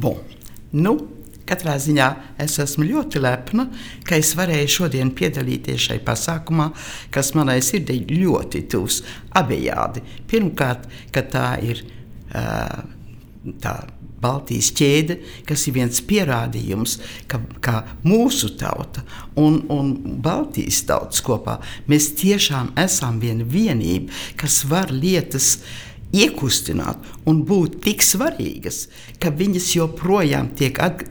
Bon. Katrā ziņā es esmu ļoti lepna, ka es varēju šodien piedalīties šai pasākumā, kas manai sirdī ļoti tuvs abejādi. Pirmkārt, ka tā ir tā Baltijas ķēde, kas ir viens pierādījums, ka mūsu tauta un Baltijas tautas kopā mēs tiešām esam viena vienība, kas var lietas iekustināt un būt tik svarīgas, ka viņas joprojām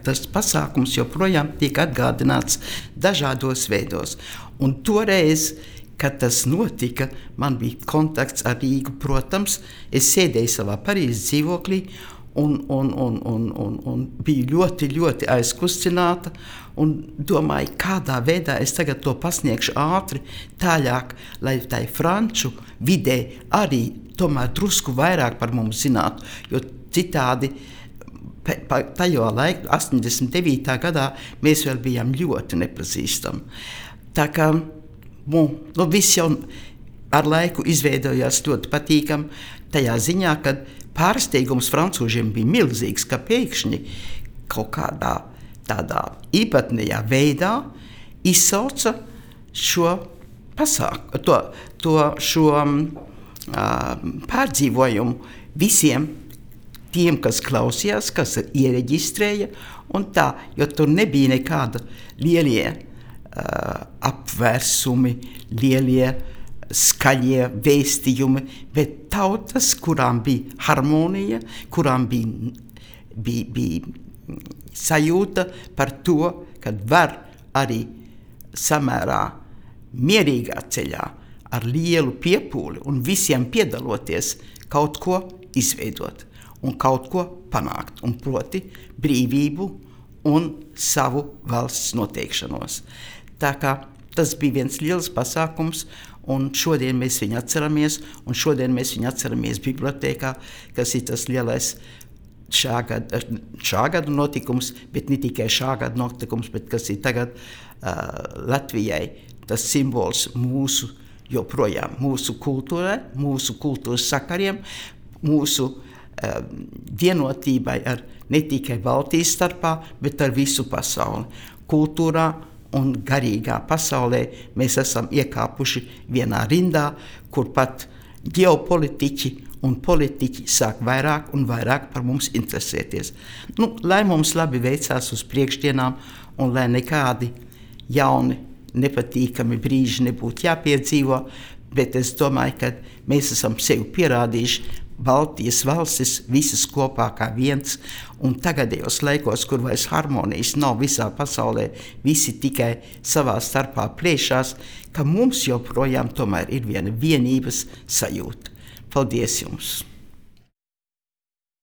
tas pasākums joprojām tiek atgādināts dažādos veidos. Un toreiz, kad tas notika, man bija kontakts ar Rīgu, protams, es sēdēju savā Parīzes dzīvoklī un biju ļoti, ļoti aizkustināta un domāju, kādā veidā es tagad to pasniegšu ātri, tāļāk, lai tai franču vidē arī tomēr drusku vairāk par mums zinātu, jo citādi tajā laikā, 89. gadā, mēs vēl bijām ļoti nepazīstami. Tā kā viss jau ar laiku izveidojās ļoti patīkami tajā ziņā, kad pārsteigums francūžiem bija milzīgs, ka pēkšņi kaut kādā tādā īpatnējā veidā izsauca šo pārdzīvojumu visiem tiem, kas klausījās, kas iereģistrēja, un tā, jo tur nebija nekāda lielie apvērsumi, lielie skaļie vēstījumi, bet tautas, kurām bija harmonija, kurām bija sajūta par to, ka var arī samērā mierīgā ceļā ar lielu piepūli un visiem piedaloties kaut ko izveidot un kaut ko panākt, un proti brīvību un savu valsts noteikšanos. Tā kā tas bija viens liels pasākums, un šodien mēs viņu atceramies, bibliotēkā, kas ir tas lielais šā gada notikums, bet ne tikai šā gada notikums, bet kas ir tagad Latvijai tas simbols joprojām mūsu kultūrai, mūsu kultūras sakariem, mūsu vienotībai ar ne tikai Baltijas starpā, bet ar visu pasauli. Kultūrā un garīgā pasaulē mēs esam iekāpuši vienā rindā, kur pat ģeopolitiķi un politiķi sāk vairāk un vairāk par mums interesēties. Lai mums labi veicās uz priekšdienām un lai nekādi jauni nepatīkami brīži nebūtu jāpiedzīvo, bet es domāju, ka mēs esam sevi pierādījuši, Baltijas valstis visas kopā kā viens, un tagadējos laikos, kur vairs harmonijas nav visā pasaulē, visi tikai savā starpā plēšās, ka mums joprojām tomēr ir viena vienības sajūta. Paldies jums!